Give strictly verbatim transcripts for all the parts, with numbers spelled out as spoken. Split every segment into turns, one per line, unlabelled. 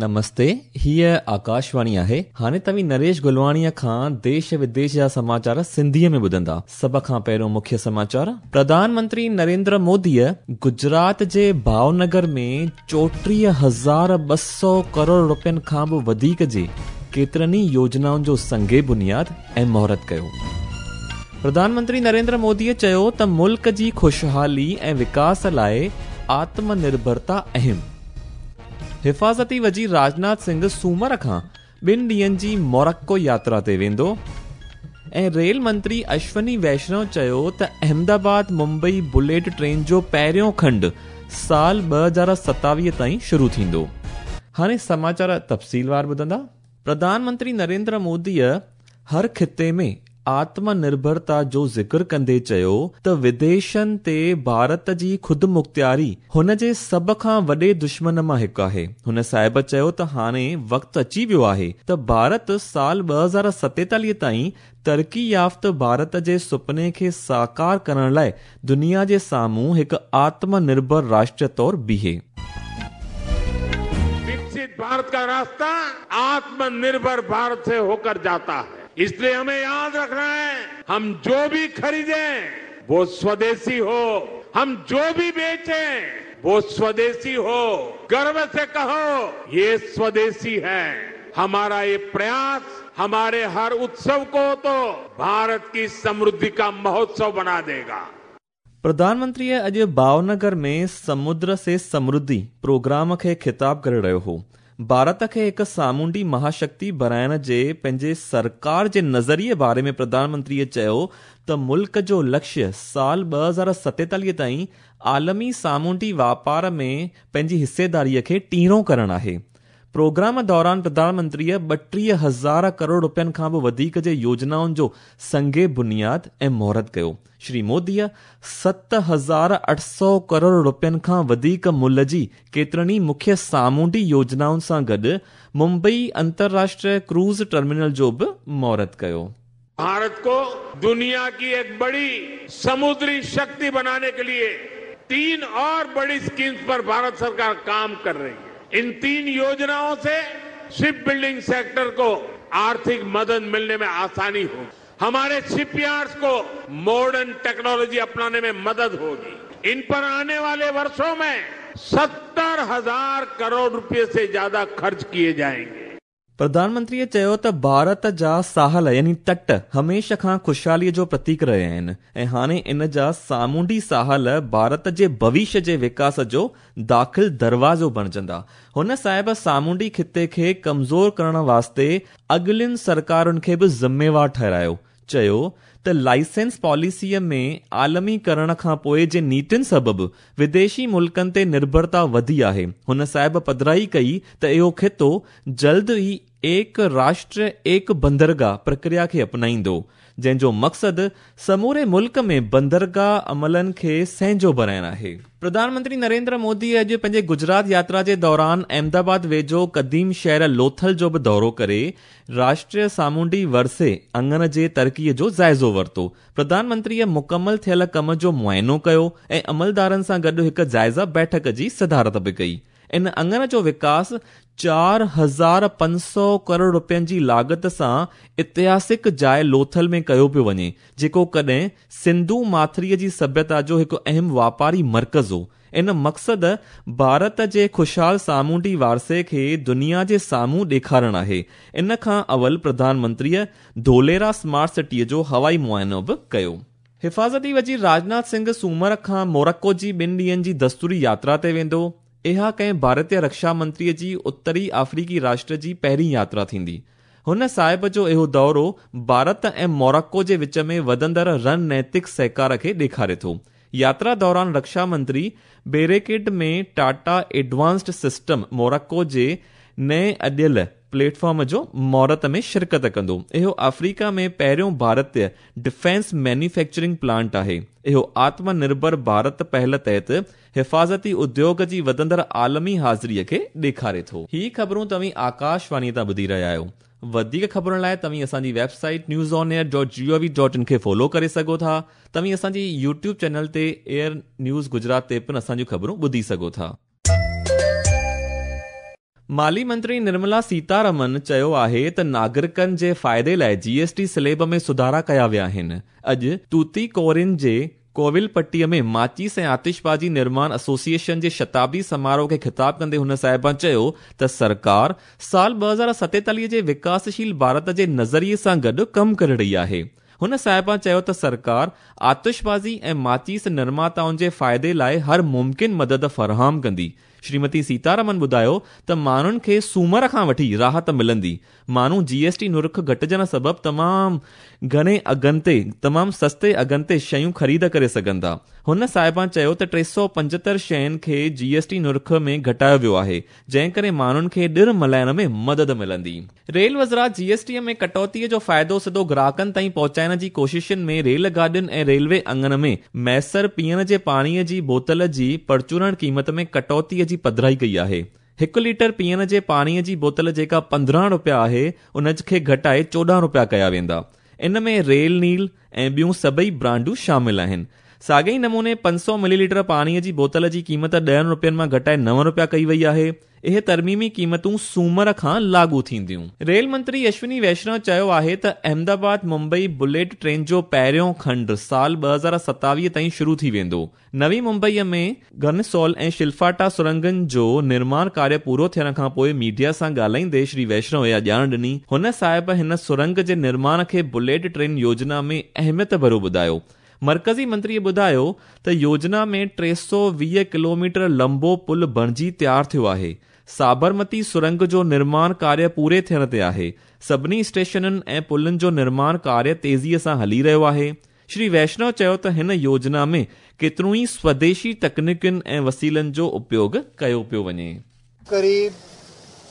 نمستي، हीअ आकाशवाणी आहे। हाणे तव्हीं नरेश गुलवाणीअ खां देश विदेश जा समाचार सिंधीअ में ॿुधंदा। सभ खां पहिरियों मुख्य समाचार। प्रधानमंत्री नरेंद्र मोदीअ गुजरात जे भावनगर में चोटीह हज़ार ॿ सौ करोड़ रुपयनि खां बि वधीक जे केतिरनि ई योजनाउनि जो संगे बुनियाद ऐं मुहूर्त कयो। प्रधानमंत्री नरेंद्र मोदीअ चयो त मुल्क जी ख़ुशहाली ऐं विकास लाइ आत्मनिर्भरता अहम। हिफाज़ती वज़ीर राजनाथ सिंह सूमर खां ॿिनि ॾींहनि जी मोरक्को यात्रा ते वेंदो। ऐं रेल मंत्री अश्वनी वैष्णव चयो त अहमदाबाद मुंबई बुलेट ट्रेन जो पहिरियों खंड साल ॿ हज़ार सतावीह ताईं शुरू थींदो। हाणे समाचार तफ़सीलवार ॿुधंदा। प्रधानमंत्री नरेंद्र मोदीअ हर ख़िते में आत्मनिर्भरता जो ज़िक्र कंदे चयो त विदेशनि ते भारत जी ख़ुदमुख़्तियारी हुन जे सभ खां वॾे दुश्मन मां हिकु आहे। हुन साहिब चयो त हाणे वक़्तु अची वियो आहे त भारत साल ॿ हज़ार सतेतालीह ताईं तरक़ी याफ़्त भारत जे सुपने खे साकार करण लाइ दुनिया जे साम्हूं हिकु आत्मनिर्भर राष्ट्र तौर बीहे।
विकसित भारत का रास्ता आत्मनिर्भर भारत से होकर जाता है, इसलिए हमें याद रखना है हम जो भी खरीदें वो स्वदेशी हो, हम जो भी बेचें वो स्वदेशी हो। गर्व से कहो ये स्वदेशी है। हमारा ये प्रयास हमारे हर उत्सव को तो भारत की समृद्धि का महोत्सव बना देगा।
प्रधानमंत्री अॼु भावनगर में समुद्र से समृद्धि प्रोग्राम खे ख़िताब करे रहियो हो। भारत खे हिकु सामुंडी महाशक्ति बणाइण जे पंहिंजे सरकार जे नज़रिए बारे में प्रधानमंत्रीअ चयो त मुल्क जो लक्ष्य साल ॿ हज़ार सतेतालीह ताईं आलमी सामुंडी वापार में पंहिंजी हिस्सेदारीअ खे टीणो करणु आहे। प्रोग्राम दौरान प्रधानमंत्रीअ ॿटीह हज़ार करोड़ रुपयनि खां बि वधीक जे योजनाउनि जो संगे बुनियाद ऐं मुहूर्त कयो। श्री मोदीअ सत हज़ार अठ सौ करोड़ रुपयनि खां वधीक मुल्ह जी केतिरनि ई मुख्य सामुंडी योजनाउनि सां गॾु मुंबई अंतर्राष्ट्रीय क्रूज़ टर्मिनल जो बि मुहूर्त कयो।
भारत को दुनिया की एक बड़ी समुद्री शक्ति बनाने के लिए तीन और बड़ी स्कीम्स पर भारत सरकार काम कर रही है। इन तीन योजनाओं से शिप बिल्डिंग सेक्टर को आर्थिक मदद मिलने में आसानी होगी, हमारे शिपयार्ड्स को मॉडर्न टेक्नोलॉजी अपनाने में मदद होगी। इन पर आने वाले वर्षों में सत्तर हजार करोड़ रुपए से ज्यादा खर्च किए जाएंगे।
प्रधानमंत्रीअ चयो त भारत जा साहल यानी तट हमेशह खां ख़ुशहालीअ जो प्रतीक रहिया आहिनि ऐं हाणे इन जा सामुंडी साहल भारत जे भविष्य जे विकास जो दाख़िल दरवाज़ो बणजंदा। हुन साहिब सामुंडी ख़िते खे कमज़ोर करण वास्ते अॻिलियुनि सरकारुनि खे बि ज़िम्मेवार ठहिरायो। चयो त लाइसेंस पॉलिसीअ में आलमी करण खां पोइ जे नीतियुनि सबबु विदेशी मुल्कनि ते निर्भरता वधी आहे। हुन साहिब पधराई कई त इहो ख़ितो जल्द ई एक राष्ट्र एक बंदरगाह प्रक्रिया खे अपनाईंदो, जंहिंजो मक़सदु समूरे मुल्क में बंदरगाह अमलनि खे सहजो बणाइणु आहे। प्रधानमंत्री नरेंद्र मोदी अॼु पंहिंजे गुजरात यात्रा जे दौरान अहमदाबाद वेझो क़दीम शहर लोथल जो बि दौरो करे राष्ट्रीय सामुंडी वरसे अंगण जे तरक़ीअ जो जाइज़ो वरितो। प्रधानमंत्रीअ मुकमल थियल कम जो मुआइनो कयो ऐं अमलदारनि सां गॾु हिकु जाइज़ा बैठक जी सदारत बि कई। इन अंगण जो विकास चार हज़ार पंज सौ करोड़ रुपयनि जी लागत सां ऐतिहासिक जाइ लोथल में कयो पियो वञे, जेको कॾहिं सिंधु माथरीअ जी सभ्यता जो हिकु अहम वापारी मर्कज़ हो। इन मक़सद भारत जे ख़ुशहाल सामुंडी वारसे खे दुनिया जे साम्हूं ॾेखारणु आहे। इन खां अवल प्रधानमंत्रीअ धोलेरा स्मार्ट सिटीअ जो हवाई मुआइनो बि कयो। हिफाज़ती वज़ीर राजनाथ सिंह सूमर खां मोरक्को जी ॿिनि ॾींहनि जी दस्तूरी यात्रा ते वेंदो। इहा कंहिं भारतीय रक्षा मंत्रीअ जी उत्तरी अफ्रीकी राष्ट्र जी पहिरीं यात्रा थींदी। हुन साहिब जो इहो दौरो भारत ऐं मोरक्को जे विच में वधंदड़ रणनैतिक सहकार खे ॾेखारे थो। यात्रा दौरान रक्षा मंत्री बेरेकेड में टाटा एडवांस्ड सिस्टम मोरक्को जे नए अॾियल प्लेटफॉर्म जो मुहूर्त में शिरकत कंदो। इहो अफ्रीका में पहिरियों भारतीय डिफेंस मैन्युफैक्चरिंग प्लांट आहे। इहो आत्मनिर्भर भारत पहल तहत हिफाज़ती उद्योग जी वधंदड़ आलमी हाज़िरीअ खे ॾेखारे थो। ही ख़बरूं तव्हीं आकाशवाणी तां ॿुधी रहिया आहियो। वधीक ख़बरुनि लाइ तव्हीं असांजी website news on air dot G O V dot in खे फॉलो करे सघो था। तव्हीं असांजी यूट्यूब चैनल ते एयर न्यूज़ गुजरात ते पिणु असांजूं ख़बरूं ॿुधी सघो था। माली मंत्री निर्मला सीतारमन चयो आहे त नागरिकनि जे फ़ाइदे लाइ जी एस टी स्लैब में सुधारा कया विया आहिनि। अॼु तूतीकोरिन जे कोविलपट्टीअ में माचिस ऐं आतिशबाज़ी निर्माण एसोसिएशन जे शताब्दी समारोह खे ख़िताब कंदे हुन साहिबा चयो त सरकार साल ॿ हज़ार सतेतालीह जे विकासशील भारत जे नज़रिए सां गॾु कमु करे रही आहे। हुन साहिबा चयो त सरकार आतिशबाज़ी ऐं माचिस निर्माताउनि जे फ़ाइदे लाइ हर मुमकिन मदद फराहम कंदी। श्रीमती सीतारमन ॿुधायो त माण्हुनि खे सूमर खां वठी राहत मिलंदी। माण्हू जी एस टी नुर्ख घटिजण सबबु तमामु घणे अघनि ते तमामु सस्ते अघनि ते शयूं ख़रीद करे सघंदा। हुन साहिबा चयो त टे सौ पंजहतरि शयुनि खे जी एस टी नुर्ख में घटायो वियो आहे, जंहिं करे माण्हुनि खे ॾिण मल्हाइण में मदद मिलंदी। रेल वज़रात जी एस टीअ में कटौतीअ जो फ़ाइदो सिधो ग्राहकनि ताईं पहुचाइण जी कोशिशुनि में रेल गाॾियुनि ऐं रेलवे अंगण में मैसर पीअण जे पाणीअ जी बोतल जी परचूरण क़ीमत में कटौतीअ जी पधराई कई आहे। हिकु लीटर पीअण जे पाणीअ जी बोतल जेका पंद्रहं रुपया आहे, उन खे घटाए चोॾहं रुपया कया वेंदा। इन में रेल नील ऐं ॿियूं सभई ब्रांडूं शामिल आहिनि। साॻे ई नमूने पंज सौ मिलीलीटर पाणीअ जी बोतल जी क़ीमत ॾहनि रुपयनि मां घटाए नव रुपया कई वई आहे। इहे तरमीमी क़ीमतूं सूमर खां लागू थींदियूं। रेल मंत्री अश्विनी वैष्णव चयो आहे त अहमदाबाद मुंबई बुलेट ट्रेन जो पहिरियों खंड साल ॿ हज़ार सतावीह ताईं शुरू थी वेंदो। नवी मुंबईअ में घनसोल ऐं शिल्फाटा सुरंगनि जो निर्माण कार्य पूरो थियण खां पोइ मीडिया सां ॻाल्हाईंदे श्री वैष्णव इहा ॼाण ॾिनी। हुन साहिब हिन सुरंग जे निर्माण खे बुलेट ट्रेन योजना में अहमियत भरियो ॿुधायो। मर्कज़ी मंत्रीअ ॿुधायो त योजना में टे सौ वीह किलोमीटर लंबो पुल बणिजी तयारु थियो आहे। साबरमती सुरंग जो निर्माण कार्य पूरे थियण ते आहे। सभिनी स्टेशननि ऐं पुलनि जो निर्माण कार्य तेज़ीअ सां हली रहियो आहे। श्री वैष्णव चयो त हिन योजना में केतिरियूं ई स्वदेशी तकनीकुनि ऐं वसीलनि जो उपयोग कयो पियो वञे।
करीब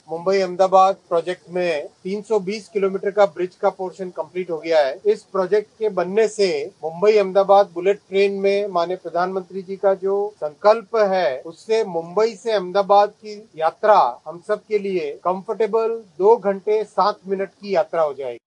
मुंबई अहमदाबाद प्रोजेक्ट में तीन सौ बीस किलोमीटर का ब्रिज का पोर्शन कंप्लीट हो गया है। इस प्रोजेक्ट के बनने से मुंबई अहमदाबाद बुलेट ट्रेन में माननीय प्रधानमंत्री जी का जो संकल्प है, उससे मुंबई से अहमदाबाद की यात्रा हम सब के लिए कंफर्टेबल दो घंटे सात मिनट की यात्रा हो जाएगी।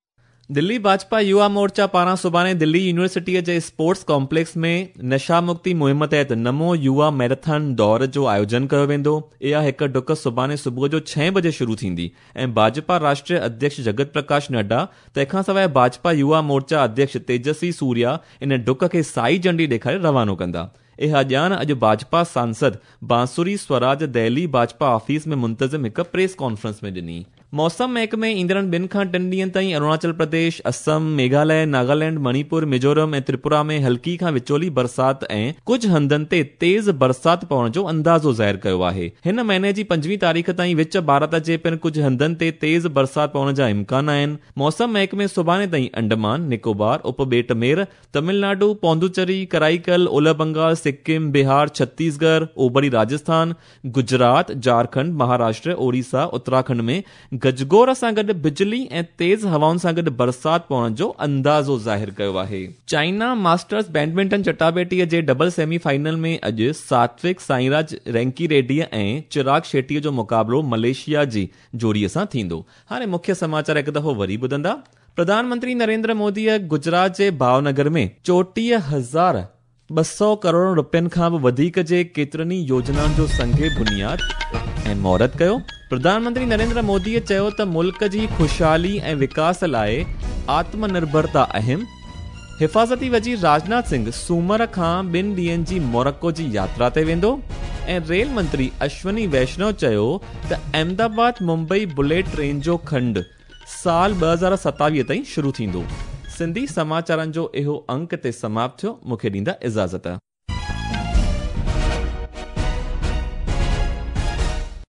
दिल्ली भाजपा युवा मोर्चा पारां सुभाणे दिल्ली यूनिवर्सिटीअ जे स्पोर्ट्स कॉम्प्लेक्स में नशा मुक्ति मुहिम तहत नमो युवा मैराथन दौड़ जो आयोजन कयो वेंदो। इहा हिकु डुक सुभाणे सुबुह जो छह बजे शुरू थींदी ऐं भाजपा राष्ट्रीय अध्यक्ष जगत प्रकाश नड्डा तंहिंखां सवाइ भाजपा युवा मोर्चा अध्यक्ष तेजस्वी सूर्या इन डुक खे साई झंडी ॾेखारे रवानो कंदा। इहा ॼाण अॼु भाजपा सांसद बांसुरी स्वराज दिल्ली भाजपा ऑफिस में मुंतज़िम हिकु प्रेस कॉन्फ्रेंस में ॾिनी। मौसम महकमे ईंदड़ ॿिनि खां टिनि ॾींहनि ताईं अरुणाचल प्रदेश, असम, मेघालय, नागालैंड, मणिपुर, मिज़ोरम ऐं त्रिपुरा में हल्की खां विचोली बरसात ऐं कुझु हंधनि ते तेज़ बरसात पवण जो अंदाज़ो ज़ाहिर कयो आहे। हिन महीने जी पंजवीह तारीख़ ताईं विच भारत जे पिणु कुझु हंधनि ते तेज़ बरसात पवण जा इम्कान आहिनि। मौसम महकमे सुभाणे ताईं अंडमान, निकोबार, उपॿेट मेर, तमिलनाडु, पौंडुचेरी, कराईकल, ओलह बंगाल, सिक्किम, बिहार, छत्तीसगढ़, ओबरी राजस्थान, गुजरात, झारखंड, महाराष्ट्र, ओडिशा, उत्तराखंड में गजगोर सां गॾु बिजली ऐं तेज़ हवाउनि सां गॾु बरसात पवण जो अंदाज़ो ज़ाहिर कयो आहे। चाइना मास्टर्स बैडमिंटन चटाबेटीअ जे डबल सेमीफाइनल में अॼु सात्विक साईराज रैंकी रेड्डी ऐं चिराग शेट्टीअ जो मुक़ाबिलो मलेशिया जी जोड़ीअ सां थींदो। हाणे मुख्य समाचार हिकु दफ़ो वरी ॿुधंदा। प्रधानमंत्री नरेंद्र मोदीअ गुजरात जे भावनगर में चोटीह हज़ार ॿ सौ करोड़ रुपयनि खां बि वधीक जे केतिरनि ई योजनाउनि जो संगे बुनियाद ऐं मुहूर्त कयो। प्रधानमंत्री नरेंद्र मोदीअ चयो त मुल्क जी ख़ुशहाली ऐं विकास लाइ आत्मनिर्भरता अहम। हिफाज़ती वज़ीर राजनाथ सिंह सूमर खां ॿिनि ॾींहनि जी मोरक्को जी यात्रा ते वेंदो। ऐं रेल मंत्री अश्विनी वैष्णव चयो त अहमदाबाद मुंबई बुलेट ट्रेन जो खंड साल ॿ हज़ार सतावीह ताईं शुरू थींदो। सिंधी समाचारनि जो इहो अंक ते समाप्त थियो। मूंखे ॾींदा इजाज़त।